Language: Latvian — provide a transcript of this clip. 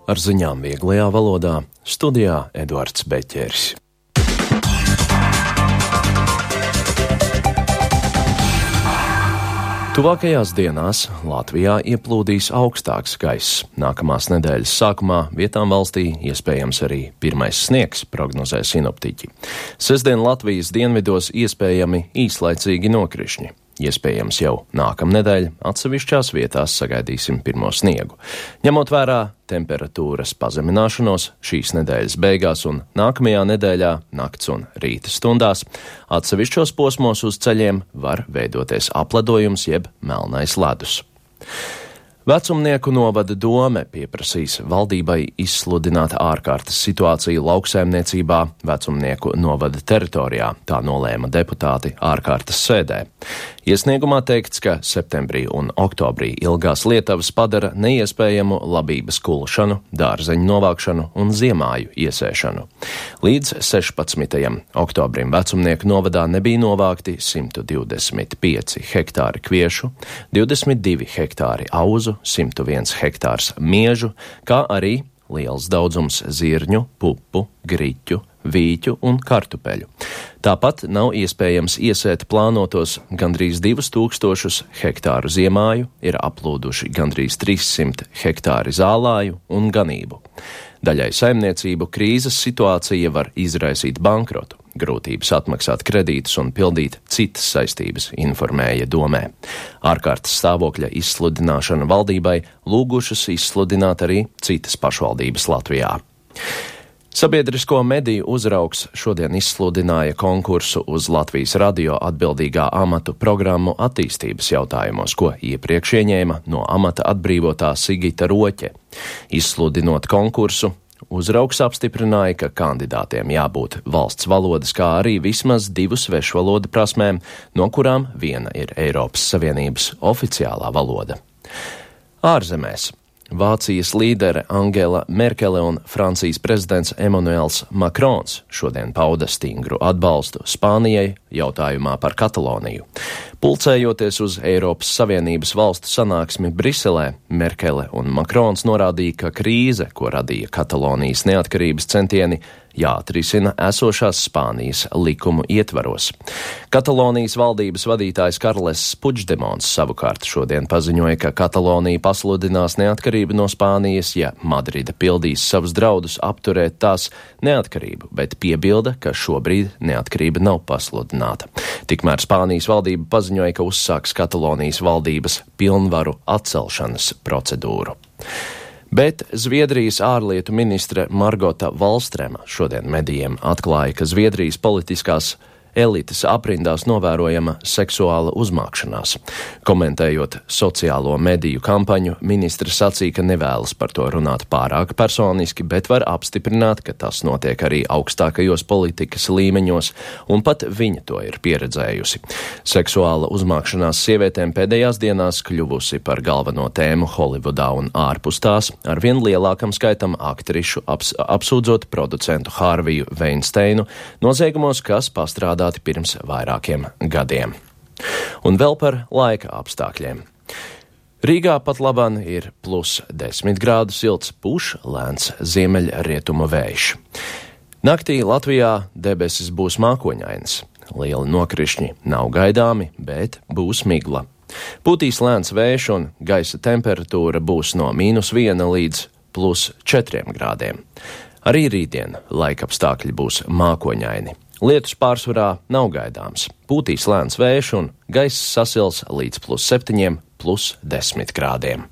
Ar ziņām vieglajā valodā studijā Eduards Beķeris. Tuvākajās dienās Latvijā ieplūdīs augstāks gaiss. Nākamās nedēļas sākumā vietām valstī iespējams arī pirmais sniegs, prognozē sinoptiķi. Sestdien Latvijas dienvidos iespējami īslaicīgi nokrišņi. Iespējams jau nākamnedēļ atsevišķās vietās sagaidīsim pirmo sniegu. Ņemot vērā temperatūras pazemināšanos šīs nedēļas beigās un nākamajā nedēļā nakts un rīta stundās, atsevišķos posmos uz ceļiem var veidoties apledojums jeb melnais ledus. Vecumnieku novada dome pieprasīs valdībai izsludināt ārkārtas situāciju lauksaimniecībā Vecumnieku novada teritorijā, tā nolēma deputāti ārkārtas sēdē. Iesniegumā teikts, ka septembrī un oktobrī ilgās lietavas padara neiespējamu labības kulšanu, dārzeņu novākšanu un ziemāju iesēšanu. Līdz 16. oktobrim Vecumnieku novadā nebija novākti 125 hektāri kviešu, 22 hektāri auzu, 101 hektārs miežu, kā arī liels daudzums zirņu, pupu, griķu, vīķu un kartupeļu. Tāpat nav iespējams iesēt plānotos gandrīz 2000 hektāru ziemāju, ir aplūduši gandrīz 300 hektāri zālāju un ganību. Daļai saimniecību krīzes situācija var izraisīt bankrotu, grūtības atmaksāt kredītus un pildīt citas saistības, informēja domē. Ārkārtas stāvokļa izsludināšana valdībai lūgušas izsludināt arī citas pašvaldības Latvijā. Sabiedrisko mediju uzraugs šodien izsludināja konkursu uz Latvijas radio atbildīgā amatu programmu attīstības jautājumos, ko iepriekš ieņēma no amata atbrīvotā Sigita Roķe. Izsludinot konkursu, uzraugs apstiprināja, ka kandidātiem jābūt valsts valodas, kā arī vismaz 2 svešvalodu prasmēm, no kurām viena ir Eiropas Savienības oficiālā valoda. Ārzemēs. Vācijas līdere Angela Merkele un Francijas prezidents Emmanuels Macrons šodien pauda stingru atbalstu Spānijai jautājumā par Kataloniju. Pulcējoties uz Eiropas Savienības valstu sanāksmi Briselē, Merkele un Macrons norādīja, ka krīze, ko radīja Katalonijas neatkarības centieni, jāatrisina esošās Spānijas likumu ietvaros. Katalonijas valdības vadītājs Karles Puigdemons savukārt šodien paziņoja, ka Katalonija pasludinās neatkarību no Spānijas, ja Madrida pildīs savus draudus apturēt tās neatkarību, bet piebilda, ka šobrīd neatkarība nav pasludināta. Tikmēr Spānijas valdība paziņoja, ka uzsāks Katalonijas valdības pilnvaru atcelšanas procedūru. Bet Zviedrijas ārlietu ministre Margota Valstrema šodien medijiem atklāja, ka Zviedrijas politiskās elites aprindās novērojama seksuāla uzmākšanās. Komentējot sociālo mediju kampaņu, ministre sacīja, ka nevēlas par to runāt pārāk personiski, bet var apstiprināt, ka tas notiek arī augstākajos politikas līmeņos, un pat viņa to ir pieredzējusi. Seksuāla uzmākšanās sievietēm pēdējās dienās kļuvusi par galveno tēmu Holivudā un ārpus tās, arvien lielākam skaitam aktrišu apsūdzot producentu Hārviju Veinsteinu noziegumos, kas pastrādā pirms vairākiem gadiem. Un vēl par laika apstākļiem. Rīgā pat laban ir +10 grādu silts, pūš lēns ziemeļrietumu vējš. Naktī Latvijā debesis būs mākoņainas. Lieli nokrišņi nav gaidāmi, bet būs migla. Pūtīs lēns vējš un gaisa temperatūra būs no -1 līdz +4 grādiem. Arī rītdien laikapstākļi būs mākoņaini. Lietus pārsvarā nav gaidāms. Pūtīs lēns vējš un gaiss sasils līdz +7, +10 grādiem.